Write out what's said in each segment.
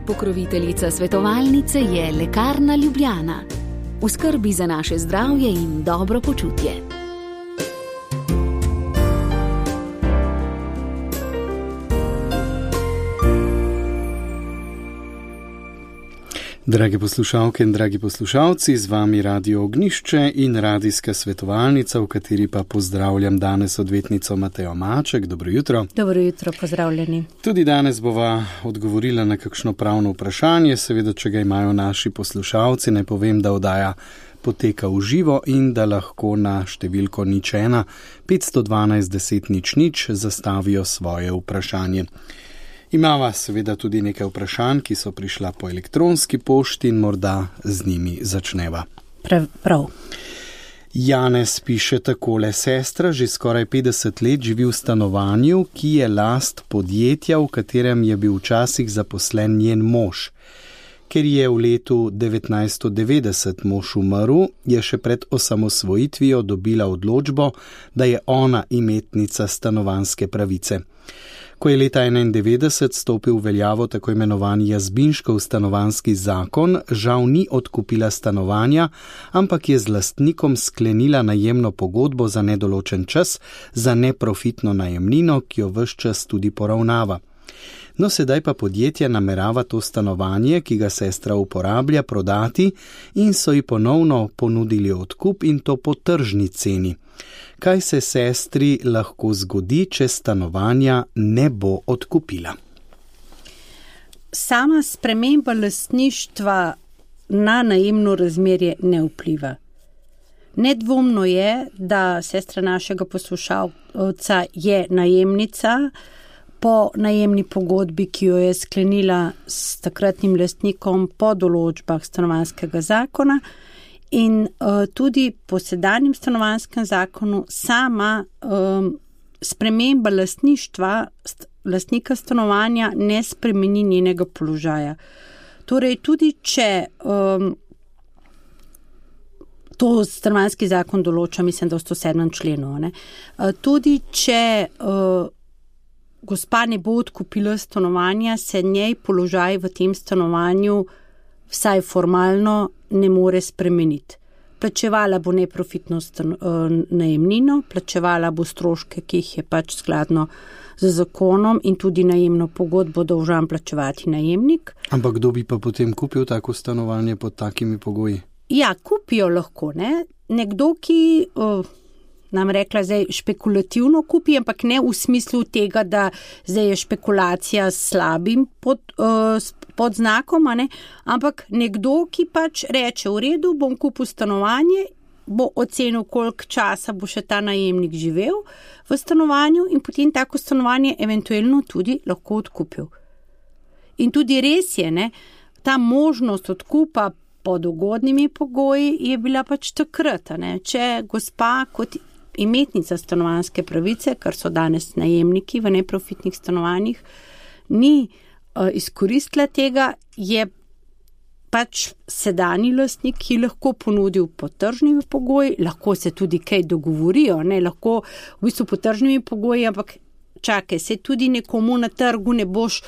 Pokroviteljica svetovalnice je Lekarna Ljubljana. V skrbi za naše zdravje in dobro počutje. Drage poslušalke in dragi poslušalci, z vami Radio Ognjišče in radijska svetovalnica, v kateri pa pozdravljam danes odvetnico Matejo Maček. Dobro jutro. Dobro jutro, pozdravljeni. Tudi danes bova odgovorila na kakšno pravno vprašanje, seveda, če ga imajo naši poslušalci. Ne povem, da oddaja poteka v živo in da lahko na številko 01 512 10 00 zastavijo svoje vprašanje. Imava seveda tudi nekaj vprašanj, ki so prišla po elektronski pošti in morda z njimi začneva. Prav. Janez piše takole: sestra že skoraj 50 let živi v stanovanju, ki je last podjetja, v katerem je bil včasih zaposlen njen mož. Ker je v letu 1990 mož umrl, je še pred osamosvojitvijo dobila odločbo, da je ona imetnica stanovanjske pravice. Ko je leta 1991 stopil v veljavo tako imenovani Jazbinškov stanovanjski zakon, žal ni odkupila stanovanja, ampak je z lastnikom sklenila najemno pogodbo za nedoločen čas za neprofitno najemnino, ki jo ves čas tudi poravnava. No, sedaj pa podjetje namerava to stanovanje, ki ga sestra uporablja, prodati in so ji ponovno ponudili odkup in to po tržni ceni. Kaj se sestri lahko zgodi, če stanovanja ne bo odkupila? Sama sprememba lastništva na najemno razmerje ne vpliva. Nedvomno je, da sestra našega poslušalca je najemnica po najemni pogodbi, ki jo je sklenila s takratnim lastnikom po določbah stanovanjskega zakona. In tudi po sedanjem stanovanjskem zakonu sama sprememba lastništva lastnika stanovanja ne spremeni njenega položaja. Torej tudi če to stanovanjski zakon določa, mislim, da v 107. členu, ne? Tudi če gospa ne bo odkupila stanovanja, se njej položaj v tem stanovanju vsaj formalno ne more spremeniti. Plačevala bo neprofitno najemnino, plačevala bo stroške, ki jih je pač skladno z zakonom in tudi najemno pogodbo dolžan plačevati najemnik. Ampak kdo bi pa potem kupil tako stanovanje pod takimi pogoji? Ja, kupijo lahko, ne? Nekdo, ki nam rekla zdaj špekulativno kupi, ampak ne v smislu tega, da zdaj je špekulacija s slabim pod znakom, ne? Ampak nekdo, ki pač reče, v redu, bom kupil stanovanje, bo ocenil, koliko časa bo še ta najemnik živel v stanovanju in potem tako stanovanje eventualno tudi lahko odkupil. In tudi res je, ne, ta možnost odkupa pod ugodnimi pogoji je bila pač takrat, ne? Če gospa kot imetnica stanovanjske pravice, kar so danes najemniki v neprofitnih stanovanjih, ni izkoristila tega, je pač sedanji lastnik, ki lahko ponudil po tržnimi pogoji, lahko se tudi kaj dogovorijo, ne, lahko v bistvu po tržnimi pogoji, ampak čakaj, se tudi nekomu na trgu ne boš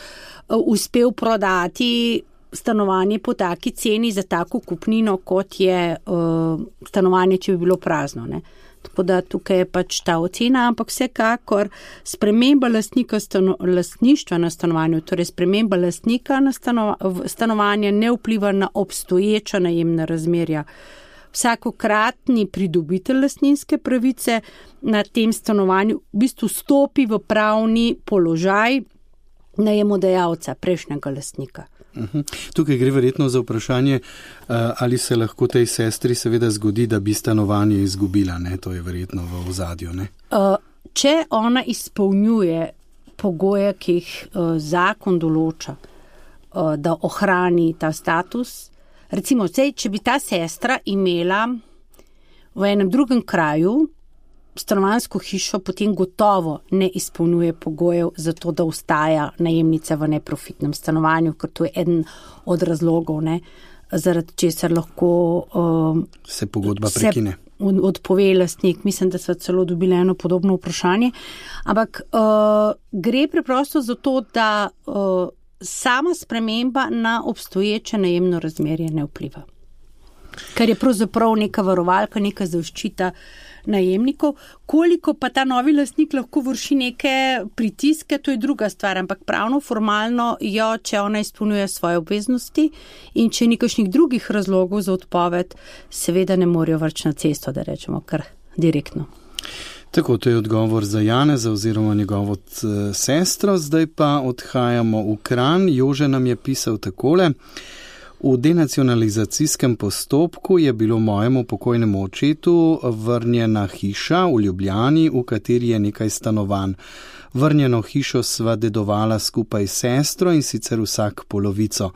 uspel prodati stanovanje po taki ceni za tako kupnino, kot je stanovanje, če bi bilo prazno, ne. Tako da tukaj je pač ta ocena, ampak vsekakor sprememba lastništva na stanovanju, torej sprememba lastnika na stanovanja ne vpliva na obstoječa najemna razmerja. Vsakokratni pridobitelj lastninske pravice na tem stanovanju v bistvu stopi v pravni položaj najemodajalca, prejšnjega lastnika. Tukaj gre verjetno za vprašanje, ali se lahko tej sestri seveda zgodi, da bi stanovanje izgubila, ne? To je verjetno v ozadju, ne? Če ona izpolnjuje pogoje, ki jih zakon določa, da ohrani ta status, recimo, če bi ta sestra imela v enem drugem kraju stanovanjsko hišo, potem gotovo ne izpolnjuje pogojev za to, da ostaja najemnica v neprofitnem stanovanju, ker to je eden od razlogov, ne, zaradi česar lahko se pogodba prekine. Odpove lastnik. Mislim, da so celo dobili eno podobno vprašanje. Ampak gre preprosto za to, da sama sprememba na obstoječe najemno razmerje ne vpliva. Ker je pravzaprav neka varovalka, neka zaščita najemnikov. Koliko pa ta novi lastnik lahko vrši neke pritiske, to je druga stvar, ampak pravno, formalno jo, če ona izpolnjuje svoje obveznosti in če ni kakšnih drugih razlogov za odpoved, seveda ne morejo vrč na cesto, da rečemo kar direktno. Tako, to je odgovor za Janeza oziroma njegovo sestro. Zdaj pa odhajamo v Kranj. Jože nam je pisal takole. V denacionalizacijskem postopku je bilo mojemu pokojnemu očetu vrnjena hiša v Ljubljani, v kateri je nekaj stanovanj. Vrnjeno hišo sva dedovala skupaj s sestro in sicer vsak polovico.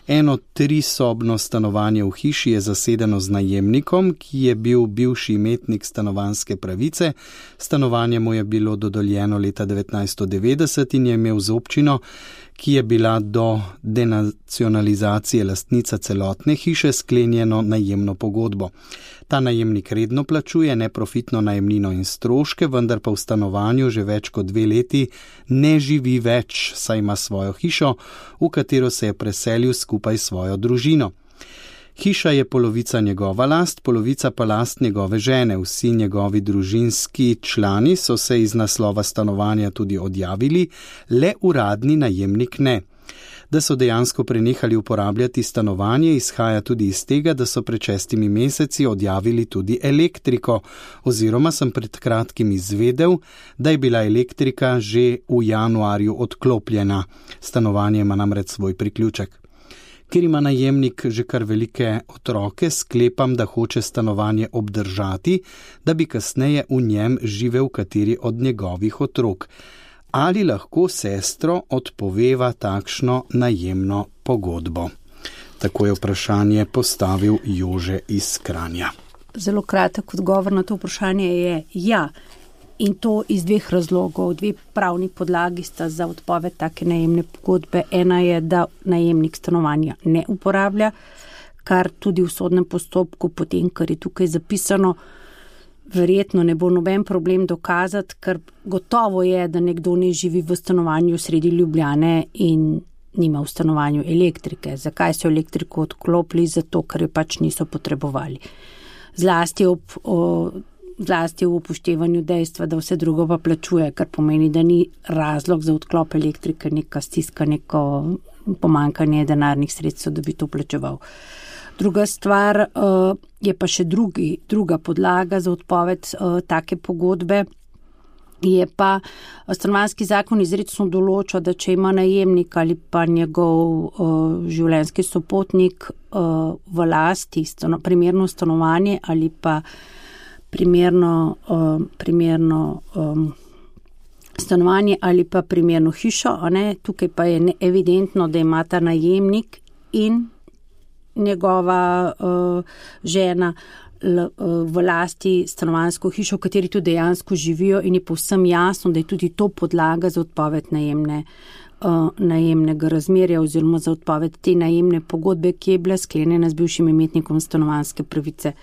Eno 3-sobno stanovanje v hiši je zasedeno z najemnikom, ki je bil bivši imetnik stanovanjske pravice. Stanovanje mu je bilo dodeljeno leta 1990 in je imel z občino, ki je bila do denacionalizacije lastnica celotne hiše, sklenjeno najemno pogodbo. Ta najemnik redno plačuje neprofitno najemnino in stroške, vendar pa v stanovanju že več kot 2 leti ne živi več, saj ima svojo hišo, v katero se je preselil skupaj s svojo družino. Hiša je polovica njegova last, polovica pa last njegove žene. Vsi njegovi družinski člani so se iz naslova stanovanja tudi odjavili, le uradni najemnik ne. Da so dejansko prenehali uporabljati stanovanje, izhaja tudi iz tega, da so pred 6 meseci odjavili tudi elektriko, oziroma sem pred kratkim izvedel, da je bila elektrika že v januarju odklopljena. Stanovanje ima namreč svoj priključek. Ker ima najemnik že kar velike otroke, sklepam, da hoče stanovanje obdržati, da bi kasneje v njem živel kateri od njegovih otrok. Ali lahko sestro odpoveva takšno najemno pogodbo? Tako je vprašanje postavil Jože iz Kranja. Zelo kratek odgovor na to vprašanje je ja. In to iz 2 razlogov. 2 pravni podlagi sta za odpoved take najemne pogodbe. Ena je, da najemnik stanovanja ne uporablja, kar tudi v sodnem postopku, potem, kar je tukaj zapisano, verjetno ne bo noben problem dokazati, ker gotovo je, da nekdo ne živi v stanovanju sredi Ljubljane in nima v stanovanju elektrike. Zakaj so elektriko odklopili? Zato, ker jo pač niso potrebovali. Zlasti v upoštevanju dejstva, da vse drugo pa plačuje, kar pomeni, da ni razlog za odklop elektrike, neka stiska, neko pomanjkanje denarnih sredstev, da bi to plačeval. Druga stvar je pa še druga podlaga za odpoved take pogodbe, je pa stanovanjski zakon izrecno določa, da če ima najemnik ali pa njegov življenjski sopotnik v lasti primerno stanovanje ali pa primerno stanovanje ali pa primerno hišo, tukaj pa je evidentno, da ima ta najemnik in njegova žena v lasti stanovanjsko hišo, v kateri tudi dejansko živijo in je povsem jasno, da je tudi to podlaga za odpoved najemnega razmerja oziroma za odpoved te najemne pogodbe, ki je bila sklenjena z bivšim imetnikom stanovanjske pravice.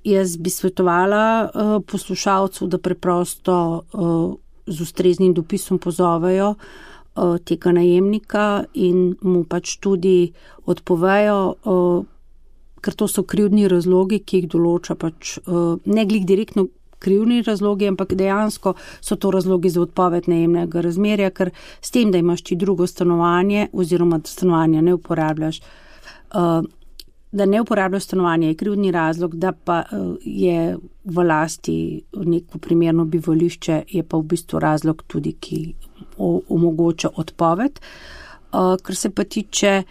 Jaz bi svetovala poslušalcu, da preprosto z ustreznim dopisom pozovejo tega najemnika in mu pač tudi odpovejo, ker to so krivdni razlogi, ki jih določa pač ne glih direktno krivdni razlogi, ampak dejansko so to razlogi za odpoved najemnega razmerja, ker s tem, da imaš ti drugo stanovanje oziroma da stanovanja ne uporabljaš, da ne uporabljaš stanovanje, je krivdni razlog, da pa je v lasti neko primerno bivališče, je pa v bistvu razlog tudi, ki omogoča odpoved. Kar se pa tiče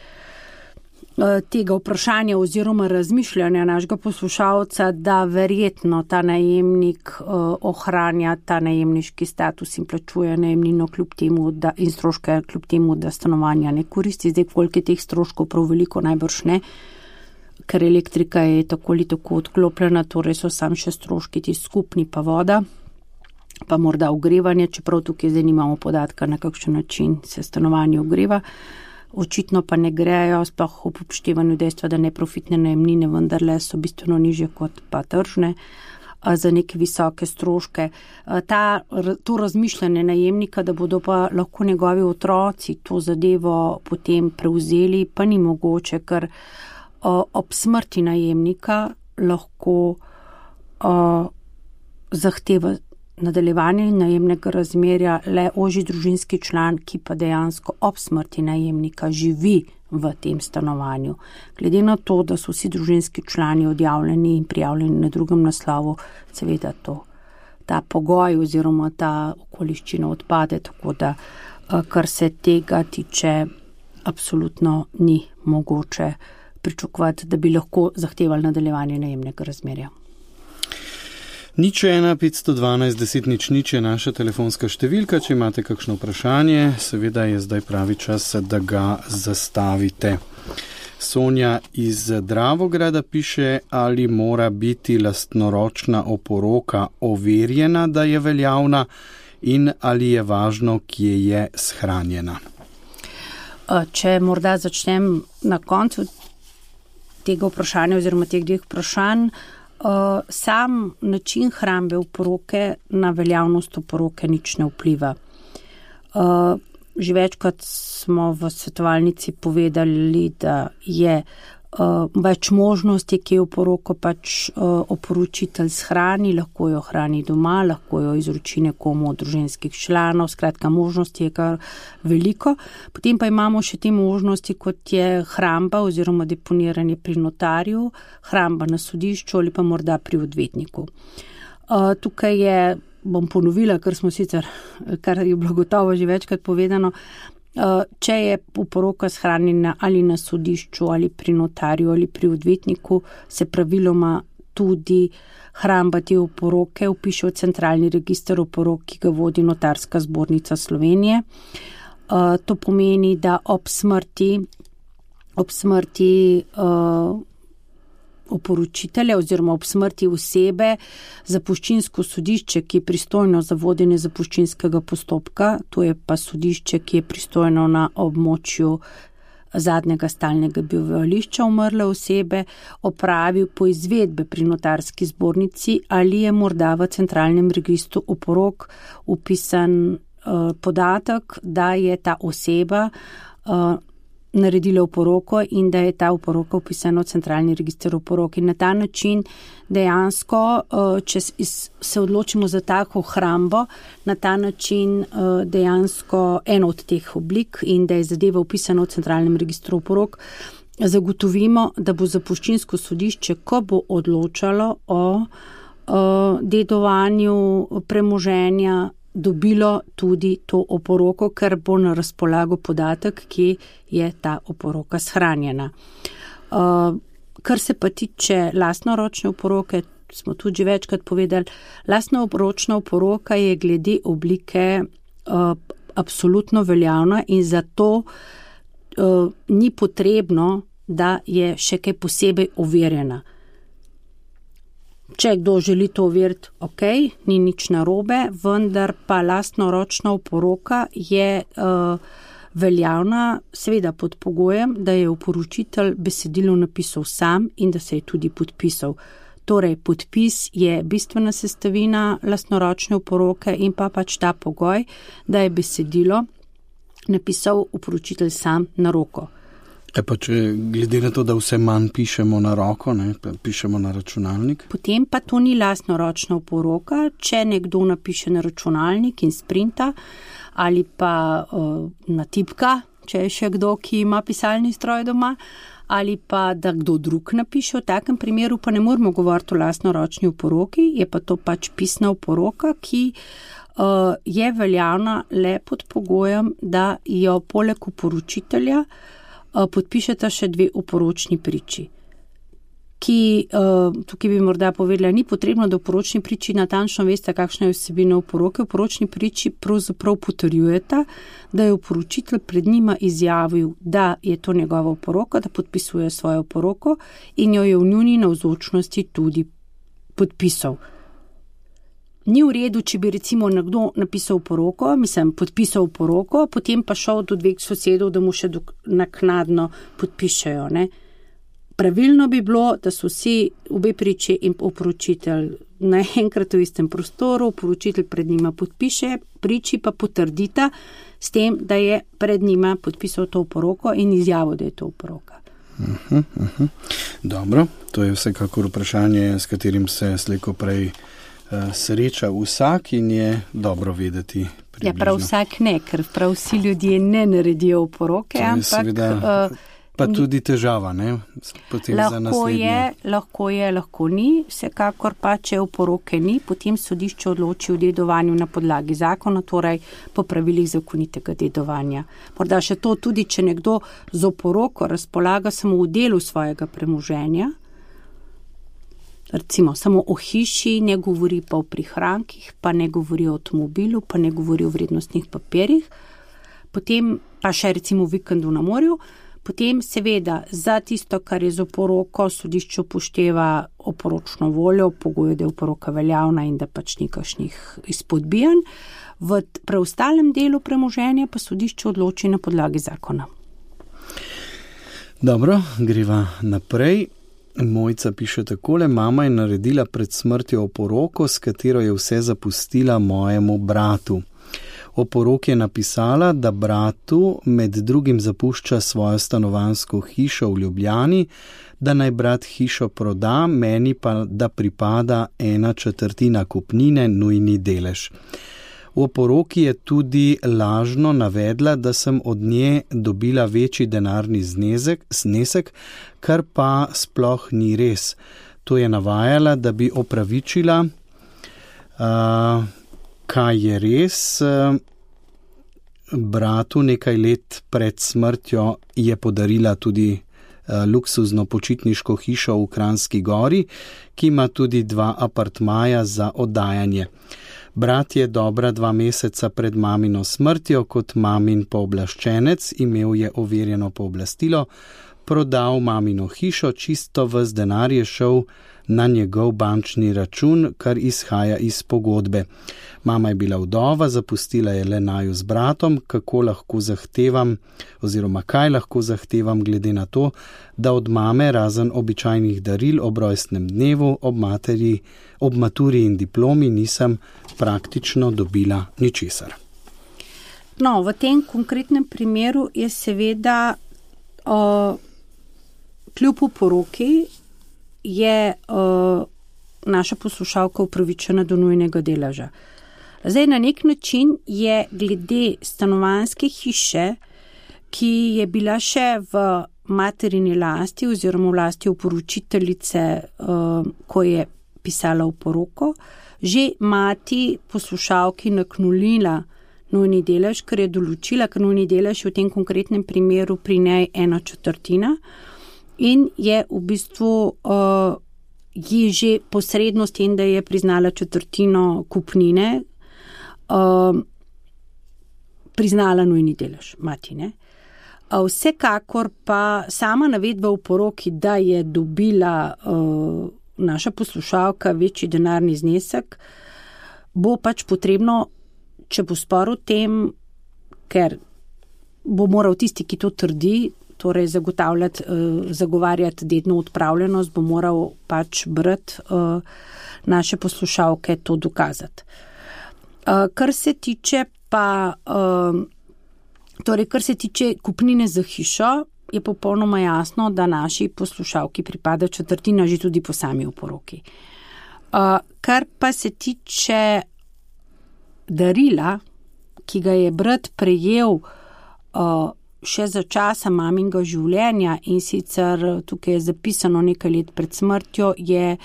tega vprašanja oziroma razmišljanja našega poslušalca, da verjetno ta najemnik ohranja ta najemniški status in plačuje najemnino in stroške kljub temu, da stanovanja ne koristi. Zdaj, koliko je teh stroškov prav veliko, najbrž ne, ker elektrika je tako ali tako odklopljena, torej so sam še stroški ti skupni pa voda, pa morda ogrevanje, čeprav tukaj zdaj nimamo podatka, na kakšen način se stanovanje ogreva. Očitno pa ne grejo, sploh v upoštevanju dejstva, da neprofitne najemnine vendarle so bistveno nižje kot pa tržne. za neke visoke stroške. To razmišljanje najemnika, da bodo pa lahko njegovi otroci to zadevo potem prevzeli, pa ni mogoče, ker ob smrti najemnika lahko zahteva nadaljevanje najemnega razmerja le ožji družinski član, ki pa dejansko ob smrti najemnika živi v tem stanovanju. Glede na to, da so vsi družinski člani odjavljeni in prijavljeni na drugem naslovu, seveda ta pogoj oziroma ta okoliščina odpade, tako da kar se tega tiče, absolutno ni mogoče pričakovati, da bi lahko zahtevali nadaljevanje najemnega razmerja. 01 512 10 00 je naša telefonska številka, če imate kakšno vprašanje, seveda je zdaj pravi čas, da ga zastavite. Sonja iz Dravograda piše, ali mora biti lastnoročna oporoka overjena, da je veljavna, in ali je važno, kje je shranjena. Če morda začnem na koncu tega vprašanja oziroma teh dveh vprašanj, sam način hrambe oporoke na veljavnost oporoke nič ne vpliva. Že večkrat smo v svetovalnici povedali, da je več možnosti, ki je oporoko pač oporočitelj shrani, lahko jo hrani doma, lahko jo izroči nekomu od družinskih članov, skratka možnosti je kar veliko. Potem pa imamo še te možnosti, kot je hramba oziroma deponiranje pri notarju, hramba na sodišču ali pa morda pri odvetniku. Tukaj je, bom ponovila, kar je bilo gotovo že večkrat povedano, če je oporoka shranjena ali na sodišču ali pri notarju ali pri odvetniku, se praviloma tudi hramba te oporoke vpiše v centralni register oporok, ki ga vodi Notarska zbornica Slovenije. To pomeni, da ob smrti oporočitelja oziroma ob smrti osebe zapuščinsko sodišče, ki je pristojno za vodenje zapuščinskega postopka, to je pa sodišče, ki je pristojno na območju zadnjega stalnega bivališča umrle osebe, opravi po izvedbe pri Notarski zbornici, ali je morda v centralnem registru oporok vpisan podatek, da je ta oseba naredila oporoko in da je ta oporoka vpisana v centralni register oporok. In na ta način dejansko, če se odločimo za tako hrambo, na ta način dejansko eno od teh oblik in da je zadeva vpisana v centralnem registru oporok, zagotovimo, da bo zapuščinsko sodišče, ko bo odločalo o dedovanju premoženja, dobilo tudi to oporoko, ker bo na razpolago podatek, ki je ta oporoka shranjena. Kar se pa tiče lastnoročne oporoke, smo tudi že večkrat povedali, lastnoročna oporoka je glede oblike absolutno veljavna in zato ni potrebno, da je še kaj posebej overjena. Če kdo želi to overiti, ok, ni nič narobe, vendar pa lastnoročna oporoka je veljavna, seveda pod pogojem, da je oporočitelj besedilo napisal sam in da se je tudi podpisal. Torej, podpis je bistvena sestavina lastnoročne oporoke in pa pač ta pogoj, da je besedilo napisal oporočitelj sam na roko. Pa če glede na to, da vse manj pišemo na roko, pišemo na računalnik? Potem pa to ni lastnoročna oporoka, če nekdo napiše na računalnik in sprinta ali pa na tipka, če je še kdo, ki ima pisalni stroj doma, ali pa da kdo drug napiše. V takem primeru pa ne moramo govoriti o lastnoročni oporoki, je pa to pač pisna oporoka, ki je veljavna le pod pogojem, da jo poleg oporočitelja podpišeta še dve oporočni priči, ki, tukaj bi morda povedala, ni potrebno, da oporočni priči natančno veste, kakšna je vsebina oporoke. Oporočni priči pravzaprav potrjujeta, da je oporočitelj pred njima izjavil, da je to njegova oporoka, da podpisuje svojo oporoko in jo je v njuni navzočnosti tudi podpisal. Ni v redu, če bi recimo nekdo napisal oporoko, podpisal oporoko, potem pa šel do dveh sosedov, da mu še naknadno podpišejo. Ne? Pravilno bi bilo, da so vsi obe priči in oporočitelj naenkrat v istem prostoru, oporočitelj pred njima podpiše, priči pa potrdita s tem, da je pred njima podpisal to oporoko in izjavil, da je to oporoka. Dobro, to je vsekakor vprašanje, s katerim se slejko prej sreča vsak in je dobro vedeti približno. Ja, prav vsak ne, ker prav vsi ljudje ne naredijo oporoke, ampak... Seveda, pa tudi težava, ne? Potem za naslednje. Lahko ni, vsekakor pa, če oporoke ni, potem sodišče odloči o dedovanju na podlagi zakona, torej po pravilih zakonitega dedovanja. Morda še to tudi, če nekdo z oporoko razpolaga samo v delu svojega premoženja, recimo samo o hiši, ne govori pa o prihrankih, pa ne govori o avtomobilu, pa ne govori o vrednostnih papirjih, potem pa še recimo v vikendu na morju, potem seveda za tisto, kar je z oporoko, sodišče upošteva oporočno voljo, pogoje, da je oporoka veljavna in da pač ni kakšnih izpodbijanj. V preostalem delu premoženja pa sodišče odloči na podlagi zakona. Dobro, greva naprej. Mojca piše takole: mama je naredila pred smrtjo oporoko, s katero je vse zapustila mojemu bratu. O poroki je napisala, da bratu med drugim zapušča svojo stanovanjsko hišo v Ljubljani, da naj brat hišo proda, meni pa da pripada 1/4 kupnine, nujni delež. V poroki je tudi lažno navedla, da sem od nje dobila večji denarni znesek, kar pa sploh ni res. To je navajala, da bi opravičila, kaj je res. Bratu nekaj let pred smrtjo je podarila tudi luksuzno počitniško hišo v Kranjski Gori, ki ima tudi 2 apartmaja za oddajanje. Brat je dobra 2 meseca pred mamino smrtjo kot mamin pooblaščenec, imel je overjeno pooblastilo, prodal mamino hišo, čisto ves denar je šel na njegov bančni račun, kar izhaja iz pogodbe. Mama je bila vdova, zapustila je le naju z bratom, kaj lahko zahtevam glede na to, da od mame razen običajnih daril ob rojstnem dnevu, ob maturi in diplomi nisem praktično dobila ničesar. No, v tem konkretnem primeru je seveda kljub oporoki je naša poslušalka upravičena do nujnega deleža. Zdaj, na nek način je glede stanovanjske hiše, ki je bila še v materini lasti oziroma v lasti oporočiteljice, ko je pisala oporoko, že mati poslušalki naknulila nujni delež, ker je določila, ker nujni delež je v tem konkretnem primeru pri njej 1/4 in je v bistvu ji že posredno s tem, da je priznala 1/4 kupnine, priznala nujni delež mati, ne? Vsekakor pa sama navedba v poroki, da je dobila naša poslušalka večji denarni znesek, bo pač potrebno, če bo spor o tem, ker bo moral tisti, ki to trdi, torej zagovarjati dedno odpravljenost, bo moral pač brat naše poslušalke to dokazati. Kar se tiče kupnine za hišo, je popolnoma jasno, da naši poslušalki pripada 1/4 že tudi po sami oporoki. Kar pa se tiče darila, ki ga je brat prejel še za časa maminega življenja, in sicer tukaj je zapisano nekaj let pred smrtjo, je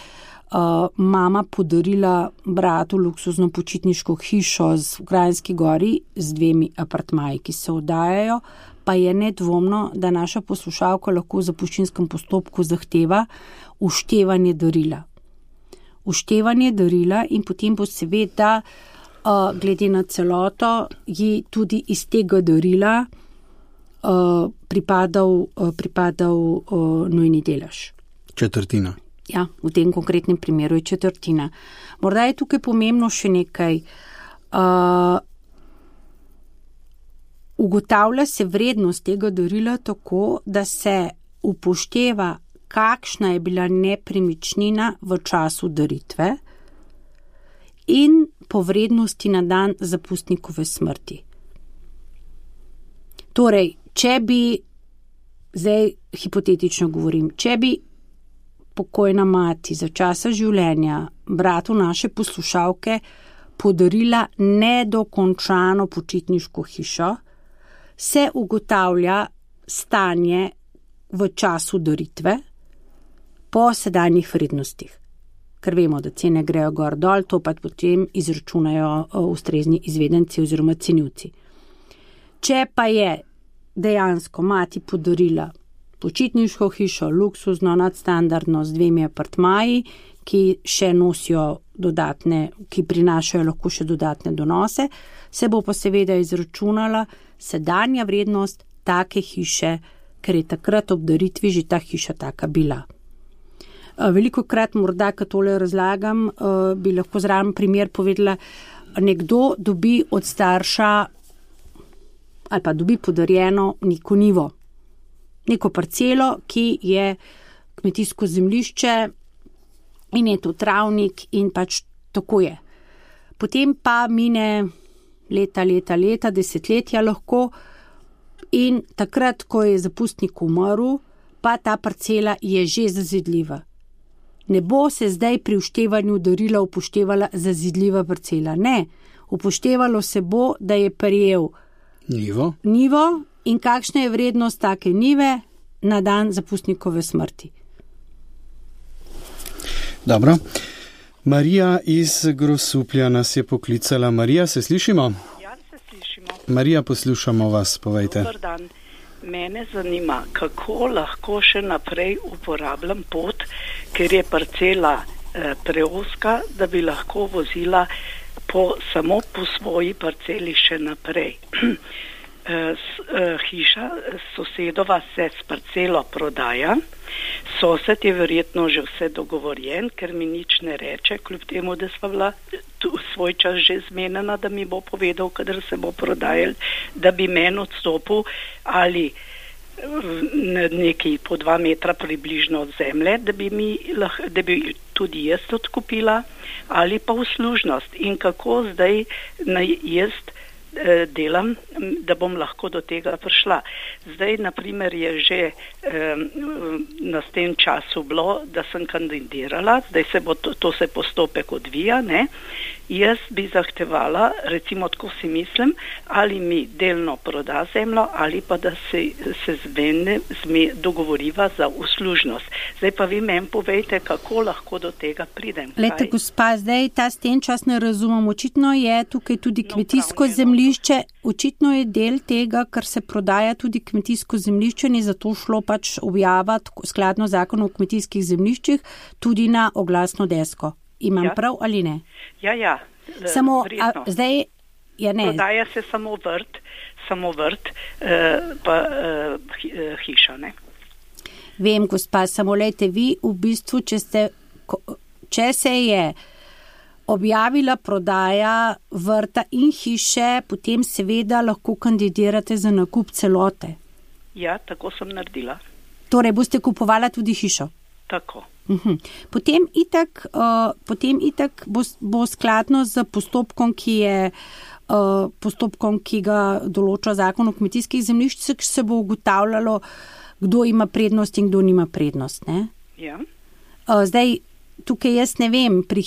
mama podarila bratu luksuzno počitniško hišo v Kranjski Gori z 2 apartmaji, ki se oddajajo, pa je nedvomno, da naša poslušalka lahko v zapuščinskem postopku zahteva uštevanje darila. Uštevanje darila in potem bo seveda glede na celoto ji tudi iz tega darila pripadal nujni delež. 1/4. Ja, v tem konkretnem primeru je 1/4. Morda je tukaj pomembno še nekaj. Ugotavlja se vrednost tega darila tako, da se upošteva kakšna je bila nepremičnina v času daritve in po vrednosti na dan zapustnikove smrti. Torej, če bi, zdaj hipotetično govorim, če bi pokojna mati za časa življenja bratu naše poslušalke podarila nedokončano počitniško hišo, se ugotavlja stanje v času daritve po sedanjih vrednostih. Ker vemo, da cene grejo gor dol, to pa potem izračunajo ustrezni izvedenci oziroma cenilci. Če pa je dejansko mati podarila počitniško hišo, luksuzno, nadstandardno, z 2 apartmaji, ki še nosijo dodatne, ki prinašajo lahko še dodatne donose, se bo pa seveda izračunala sedanja vrednost take hiše, ker je takrat ob daritvi že ta hiša taka bila. Veliko krat morda, ko tole razlagam, bi lahko zraven primer povedala, nekdo dobi od starša ali pa dobi podarjeno neko njivo, neko parcelo, ki je kmetijsko zemljišče in je to travnik in pač tako je. Potem pa mine leta, desetletja lahko in takrat, ko je zapustnik umrl, pa ta parcela je že zazidljiva. Ne bo se zdaj pri vštevanju darila upoštevala zazidljiva parcela. Ne, upoštevalo se bo, da je prejel njivo in kakšna je vrednost take njive na dan zapustnikove smrti. Dobro. Marija iz Grosuplja nas je poklicala. Marija, se slišimo? Ja, se slišimo. Marija, poslušamo vas, povejte. Dobar dan. Mene zanima, kako lahko še naprej uporabljam pot, ker je parcela preozka, da bi lahko vozila samo po svoji parceli še naprej. Hiša sosedova se s parcelo prodaja, sosed je verjetno že vse dogovorjen, ker mi nič ne reče, kljub temu, da sva bila svoj čas že zmenjena, da mi bo povedal, kadar se bo prodajal, da bi meni odstopil ali nekaj po 2 metra približno od zemlje, da bi tudi jaz odkupila, ali pa uslužnost. In kako zdaj jaz delam, da bom lahko do tega prišla. Zdaj, naprimer, je že na tem času bilo, da sem kandidirala, zdaj to se postopek odvija, ne? Jaz bi zahtevala, recimo tako si mislim, ali mi delno proda zemljo, ali pa da se dogovoriva za uslužnost. Zdaj pa vi meni povejte, kako lahko do tega pridem. Lejte, gospa, zdaj ta sten čas ne razumem. Očitno je tukaj tudi kmetijsko zemljišče, očitno je del tega, kar se prodaja tudi kmetijsko zemljišče, in zato šlo pač objavati skladno zakonu o kmetijskih zemljiščih tudi na oglasno desko. Imam prav ali ne? Ja. Samo, zdaj, ja ne. Prodaja se samo vrt, pa hiša, ne? Vem, gospa, samo lejte, vi v bistvu, če se je objavila prodaja vrta in hiše, potem seveda lahko kandidirate za nakup celote. Ja, tako sem naredila. Torej, boste kupovala tudi hišo? Tako. Potem itak bo skladno z postopkom, ki ga določa zakon o kmetijskih zemljiščih, se bo ugotavljalo, kdo ima prednost in kdo nima prednost, ne? Ja. Zdaj, tukaj jaz ne vem, pri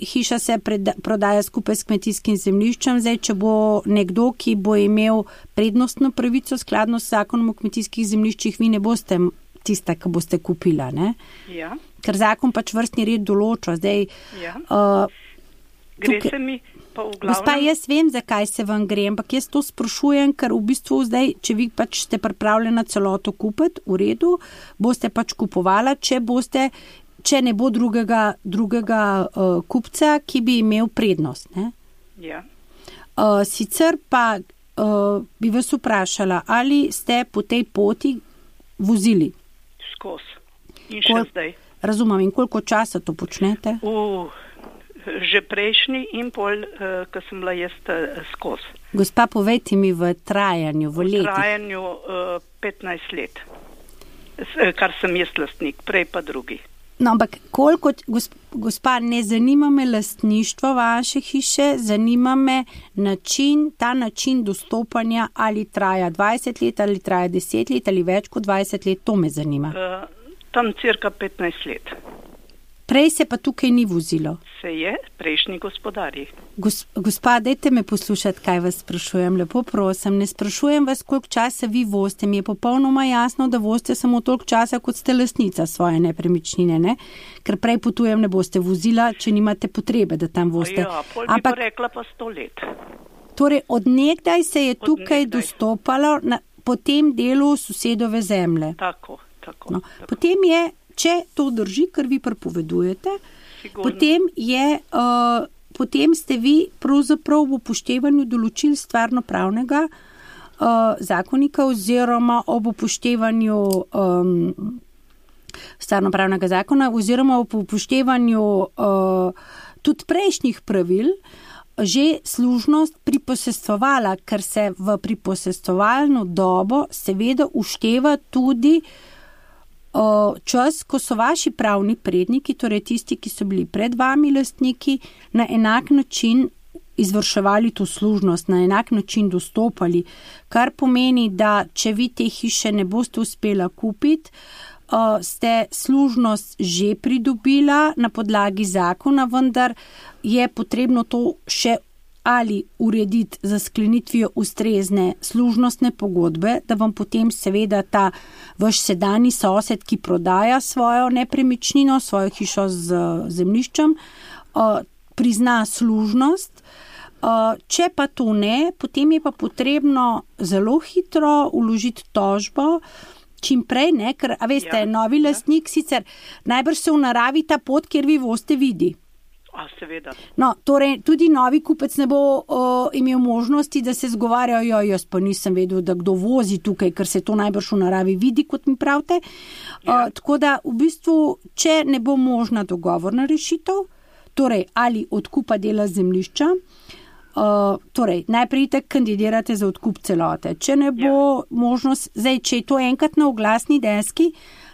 hiša se prodaja skupaj s kmetijskim zemljiščem, zdaj, če bo nekdo, ki bo imel prednostno pravico skladno s zakonom o kmetijskih zemljiščih, vi ne boste tista, ki boste kupila, ne? Ja. Ker zakon pač vrstni red določa. Zdaj, ja. Gre se mi pa v glavnem... Gospa, jaz vem, zakaj se vam gre, ampak jaz to sprašujem, ker v bistvu zdaj, če vi pač ste pripravljena celoto kupiti, v redu, boste pač kupovala, če ne bo drugega kupca, ki bi imel prednost, ne? Ja. Sicer pa bi vas vprašala, ali ste po tej poti vozili? In še zdaj. Razumem, in koliko časa to počnete? Že prejšnji in pol, ko sem bila jaz skozi. Gospa, povejte mi v trajanju, v letih. V trajanju 15 let. kar sem jaz lastnik, prej pa drugi. No, ampak koliko, gospa, ne zanima me lastništvo vaše hiše, zanima me ta način dostopanja, ali traja 20 let, ali traja 10 let, ali več kot 20 let, to me zanima. Tam cirka 15 let. Prej se pa tukaj ni vozilo. Se je, prejšnji gospodarji. Gospa, dajte me poslušati, kaj vas sprašujem. Lepo prosim, ne sprašujem vas, koliko časa vi vozite. Mi je popolnoma jasno, da vozite samo toliko časa, kot ste lastnica svoje nepremičnine, ne? Ker prej potujem ne boste vozila, če nimate potrebe, da tam vozite. Ja, pol bi pa rekla pa 100 let. Torej, od nekdaj se je tukaj dostopalo po tem delu sosedove zemlje. Tako. No, potem je, če to drži, kar vi prepovedujete, potem ste vi pravzaprav v upoštevanju določil stvarnopravnega zakonika oziroma ob upoštevanju stvarnopravnega zakona oziroma ob upoštevanju tudi prejšnjih pravil že služnost priposestovala, ker se v priposestovalno dobo seveda ušteva tudi čas, ko so vaši pravni predniki, torej tisti, ki so bili pred vami lastniki, na enak način izvrševali to služnost, na enak način dostopali, kar pomeni, da če vi te hiše ne boste uspela kupiti, ste služnost že pridobila na podlagi zakona, vendar je potrebno to še ali urediti za sklenitvijo ustrezne služnostne pogodbe, da vam potem seveda ta vaš sedanji sosed, ki prodaja svojo nepremičnino, svojo hišo z zemljiščem, prizna služnost. Če pa to ne, potem je pa potrebno zelo hitro vložiti tožbo, čim prej, ne, ker, veste, novi lastnik sicer najbrž se v naravi ta pot, kjer vi vozite, vidi. Seveda. No, torej, tudi novi kupec ne bo imel možnosti, da se zgovarjajo, jaz pa nisem vedel, da kdo vozi tukaj, ker se to najbrž v naravi vidi, kot mi pravite. Tako da, v bistvu, če ne bo možna dogovorna rešitev, torej, ali odkupa dela zemljišča, torej, najprej tak kandidirate za odkup celote. Če ne bo možnost, zdaj, če je to enkrat na oglasni deski,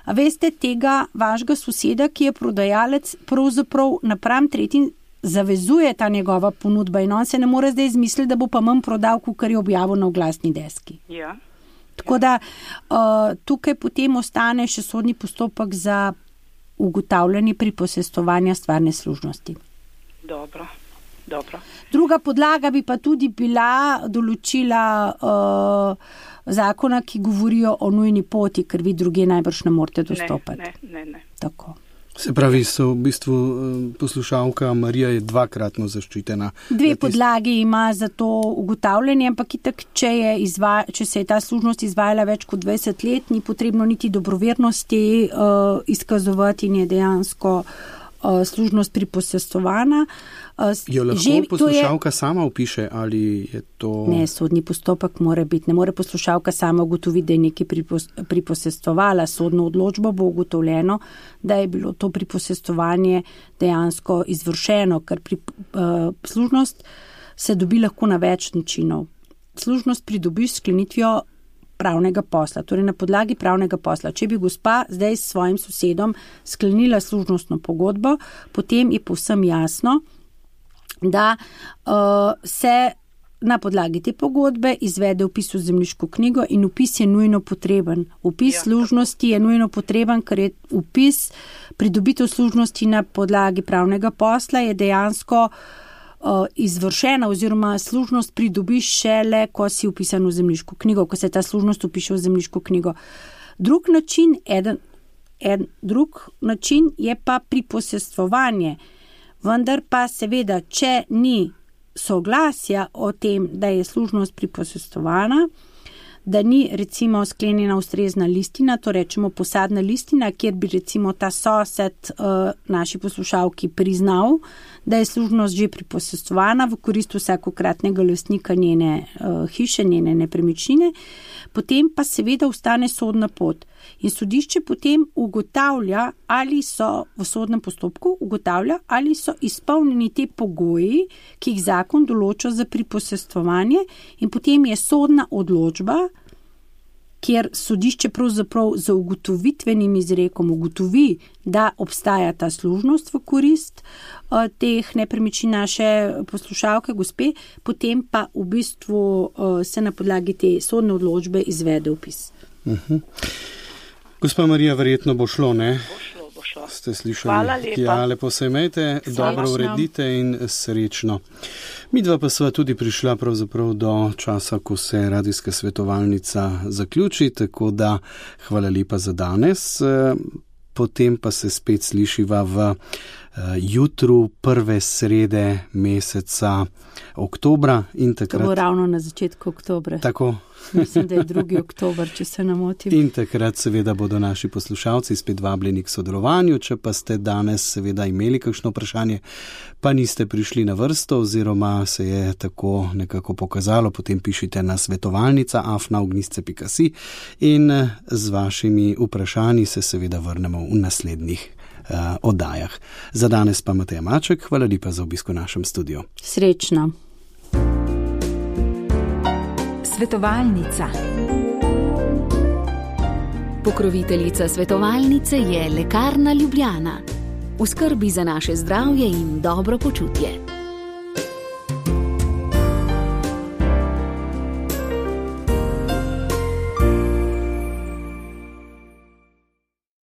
a veste, tega vašega soseda, ki je prodajalec, pravzaprav napram tretjim zavezuje ta njegova ponudba in on se ne more zdaj izmisliti, da bo pa manj prodal, kar je objavil na oglasni deski. Ja. Tako da tukaj potem ostane še sodni postopek za ugotavljanje priposestovanja stvarne služnosti. Dobro. Druga podlaga bi pa tudi bila določila zakona, ki govorijo o nujni poti, ker vi druge najbrž ne morete dostopati. Ne. Tako. Se pravi, so v bistvu poslušalka Marija je dvakratno zaščitena. Dve podlagi ima za to ugotavljanje, ampak itak, če se je ta služnost izvajala več kot 20 let, ni potrebno niti dobrovernosti izkazovati in je dejansko služnost priposestovana. Jo lahko poslušalka sama opiše, ali je to... Ne, sodni postopek mora biti. Ne more poslušalka sama ugotoviti, da je nekaj priposestovala. Sodno odločbo bo ugotovljeno, da je bilo to priposestovanje dejansko izvršeno, ker služnost se dobi lahko na več načinov. Služnost pridobiš s sklenitvijo pravnega posla, torej na podlagi pravnega posla. Če bi gospa zdaj s svojim sosedom sklenila služnostno pogodbo, potem je povsem jasno, da se na podlagi te pogodbe izvede vpis v zemljiško knjigo in vpis je nujno potreben. Vpis služnosti je nujno potreben, ker je vpis pridobitev služnosti na podlagi pravnega posla je dejansko izvršena oziroma služnost pridobiš šele, ko si vpisan v zemljiško knjigo, ko se ta služnost vpiše v zemljiško knjigo. Drug način je pa priposestvovanje, vendar pa seveda, če ni soglasja o tem, da je služnost priposestovana, da ni recimo sklenjena ustrezna listina, to rečemo posadna listina, kjer bi recimo ta sosed naši poslušalki priznal, da je služnost že priposestovana v korist vsakokratnega lastnika njene hiše, njene nepremičnine, potem pa seveda ostane sodna pot. In sodišče potem ugotavlja, ali so v sodnem postopku ali so izpolnjeni te pogoji, ki jih zakon določa za priposestovanje in potem je sodna odločba kjer sodišče pravzaprav z ugotovitvenim izrekom ugotovi, da obstaja ta služnost v korist teh nepremičnin naše poslušalke gospe, potem pa v bistvu se na podlagi te sodne odločbe izvede vpis. Gospa Marija, verjetno bo šlo, ne? Bo šlo. Ste slišali? Hvala lepa. Ja, lepo se imejte, dobro uredite in srečno. Midva pa sva tudi prišla pravzaprav do časa, ko se radijska svetovalnica zaključi, tako da hvala lepa za danes. Potem pa se spet slišiva v jutru prve srede meseca oktobra in takrat... To bo ravno na začetku oktobra. Tako. Mislim, da je 2. oktober, če se ne motim. In takrat seveda bodo naši poslušalci spet vabljeni k sodelovanju, če pa ste danes seveda imeli kakšno vprašanje, pa niste prišli na vrsto oziroma se je tako nekako pokazalo, potem pišite na svetovalnica@ognisce.si in z vašimi vprašanji se seveda vrnemo v naslednjih oddajah. Za danes pa Mateja Maček, hvala lepa za obisk v našem studiu. Srečno. Svetovalnica. Pokroviteljica svetovalnice je Lekarna Ljubljana. V skrbi za naše zdravje in dobro počutje.